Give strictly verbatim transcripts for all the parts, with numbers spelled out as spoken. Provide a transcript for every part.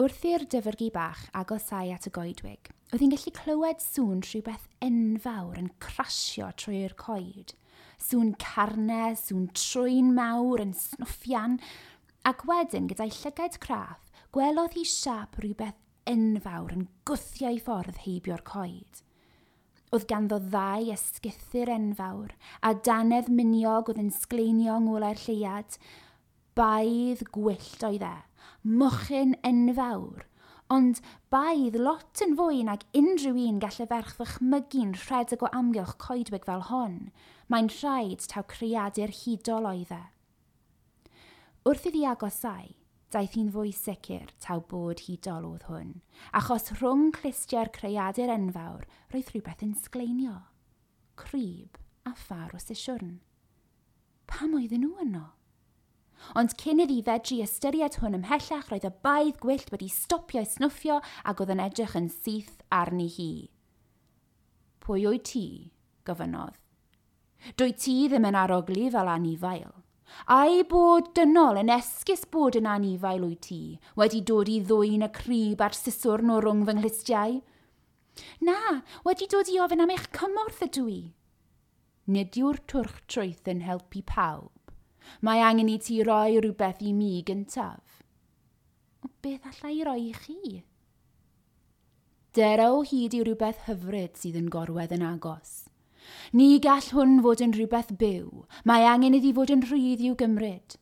Wrth i'r dyfrgi bach agosau at y goedwig, oedd hi'n gallu clywed sŵn rhywbeth enfawr yn crasio trwy'r coed. Sŵn carnau, sŵn trwyn mawr yn snwffian, ac wedyn gyda'i llygaid craff, gwelodd hi siâp rhywbeth enfawr yn gwthio ei ffordd heibio'r coed. Oedd ganddo ddau ysgythyr enfawr, a dannedd miniog oedd yn sgleinio yng ngolau'r lleuad. Baedd gwyllt oedd e, mochyn enfawr, ond baedd lot yn fwy nag unrhyw un gall y ferch ddychmygu'n rhedeg o amgylch coedwig fel hon. Mae'n rhaid taw creadur hudol oedd e. Wrth iddi agosau, daeth hi'n fwy sicr taw bod hudol oedd hwn, achos rhwng clustiau'r creadur enfawr roedd rhywbeth yn sgleinio. Crib a phâr o sisiwrn. Pam oedden nhw yno? Ond cyn iddi fedru ystyried hwn ymhellach, roedd y baedd gwyllt wedi stopio i snwffio ac oedd yn edrych yn syth arni hi. Pwy wyt ti? Gofynnodd. Dwyt ti ddim yn arogli fel anifail. Ai bod dynol yn esgus bod yn anifail wyt ti, wedi dod i ddwyn y crib a'r siswrn o rwng fy nghlustiau? Na, wedi dod i ofyn am eich cymorth ydw i. Nid yw'r twrch trwyth yn helpu pawb. Mae angen i ti roi rhywbeth i mi gyntaf. O, beth alla i roi i chi? Dera o hyd i rhywbeth hyfryd sydd yn gorwedd yn agos. Ni gall hwn fod yn rhywbeth byw. Mae angen iddi fod yn rhydd i'w gymryd.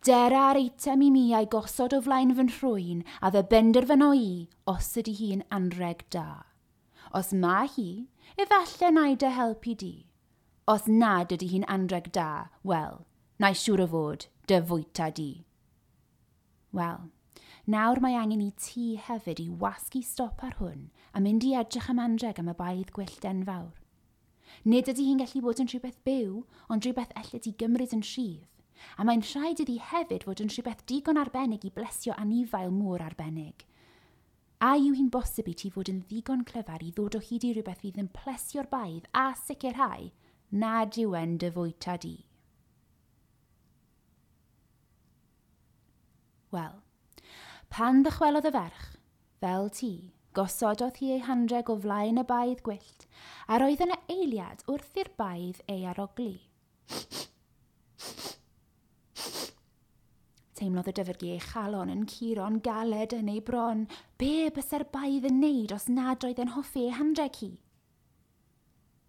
Dera ar eitem i mi a'i gosod o flaen fy nhrwyn a fe benderfyno i os ydy hi'n anreg da. Os mae hi, efallai na i dy helpu di. Os nad ydy hi'n anreg da, wel, na i siŵr o fod dy fwyta di. Wel, nawr mae angen i ti hefyd i wasgu stop ar hwn a mynd i edrych am anreg am y baedd gwyllt enfawr. Nid ydy hi'n gallu bod yn rhywbeth byw, ond rhywbeth elli di gymryd yn rhydd. A mae'n rhaid iddi hefyd fod yn rhywbeth digon arbennig i blesio anifail mor arbennig. A yw hi'n bosib i ti fod yn ddigon clyfar i ddod o hyd i rhywbeth fydd yn plesio'r baedd a sicrhau nad yw e'n dy fwyta di? Wel, pan ddychwelodd y ferch, fel ti, gosododd hi ei hanreg o flaen y baedd gwyllt, a roedd yna eiliad wrth i'r baedd ei arogli. Teimlodd y dyfrgi ei chalon yn curo'n galed yn ei bron. Be bysa'r baedd yn neud os nad oedd yn hoffi ei hanreg hi?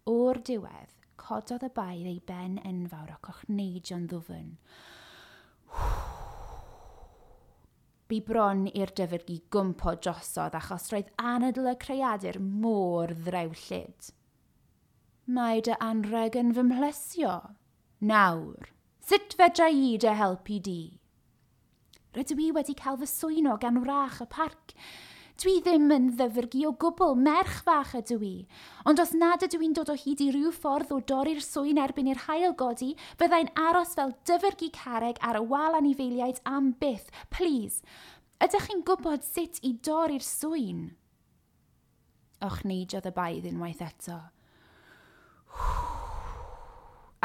O'r diwedd, cododd y baedd ei ben enfawr ac ochneidio'n ddwfn. Bu bron i'r dyfrgi gwmpo drosodd achos roedd anadl y creadur mor ddrewllyd. Mae dy anreg yn fy mhlesio. Nawr, sut fedra i dy helpu di? Rydw i wedi cael fy swyno gan wrach y parc. Dwi ddim yn ddyfrgi o gwbl, merch fach ydw i. Ond os nad ydw i'n dod o hyd i ryw ffordd o dorri'r swyn erbyn i'r haul godi, fyddai'n aros fel dyfrgi carreg ar y wal anifeiliaid am byth. Please, ydych chi'n gwybod sut i dorri'r swyn? Ochneidiodd y baedd unwaith eto.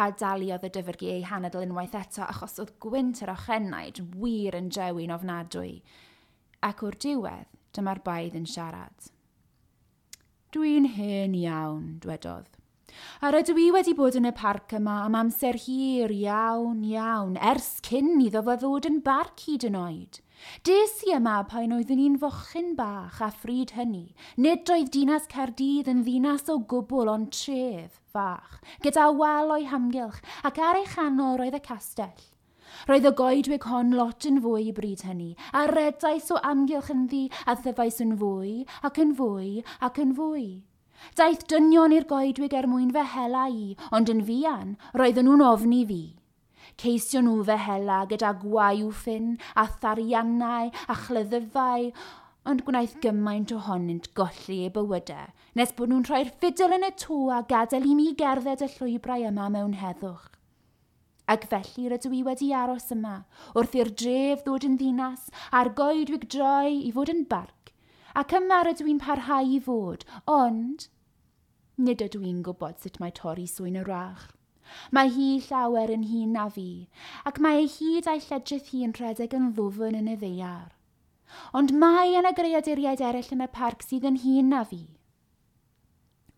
A daliodd y dyfrgi ei hanadl unwaith eto achos oedd gwynt yr ochenaid wir yn drewi'n ofnadwy. Ac o'r diwedd, dyma'r baedd yn siarad. Dwi'n hen iawn, dwedodd. A rydw i wedi bod yn y parc yma am amser hir iawn, iawn, ers cyn iddo fo ddod yn barc hyd yn oed. Des i yma pan oeddwn i'n fochyn bach a phryd hynny. Nid oedd dinas Caerdydd yn ddinas o gwbl ond tref fach, gyda wal o'i hamgylch, ac ar ei chanol roedd y castell. Roedd y goedwig hon lot yn fwy i bryd hynny, a redais o amgylch ynddi a thyfais yn fwy, ac yn fwy, ac yn fwy. Daeth dynion i'r goedwig er mwyn fy hela i, ond yn fuan, roedden nhw'n ofni fi. Ceision nhw fy hela gyda gwaywffyn a thariannau a chleddyfau, ond gwnaeth gymaint ohonynt golli eu bywydau, nes bod nhw'n rhoi'r ffidil yn y to a gadael i mi gerdded y llwybrau yma mewn heddwch. Ac felly rydw i wedi aros yma, wrth i'r dref ddod yn ddinas a'r goedwig droi i fod yn barc, ac yma rydw i'n parhau i fod, ond nid ydw i'n gwybod sut mae torri swyn y wrach. Mae hi llawer yn hŷn na fi, ac mae ei hyd a'i lledrith hi yn rhedeg yn ddwfn yn y ddaear. Ond mae yna greaduriaid eraill yn y parc sydd yn hŷn na fi.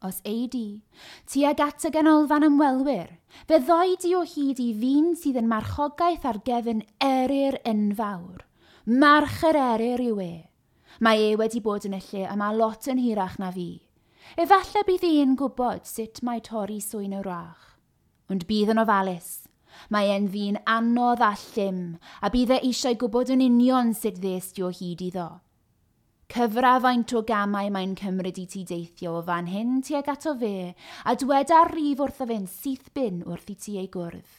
Os ei di, tuag at y ganolfan ymwelwyr, fe ddoi di o hyd i ddyn sydd yn marchogaeth ar gefn eryr enfawr. March yr eryr yw e. Mae e wedi bod yn y lle yma lot yn hirach na fi. Efallai bydd e'n gwybod sut mae torri swyn y wrach. Ond bydd yn ofalus. Mae e'n ddyn anodd a llym, a bydd e eisiau gwybod yn union sut ddest di o hyd iddo. Cyfra faint o gamau mae'n cymryd i ti deithio o fan hyn tuag ato fe, a dweda'r rif wrtho fe'n syth bin wrth i ti ei gwrdd.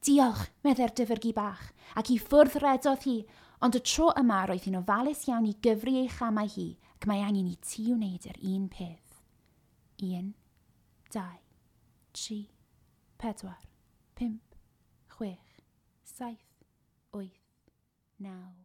Diolch, meddai'r dyfrgi bach, ac i ffwrdd redodd hi, ond y tro yma roedd hi'n ofalus iawn i gyfri ei chamau hi, ac mae angen i ti wneud yr un peth. Un, dau, tri, pedwar, pump, chwech, saith, wyth, naw.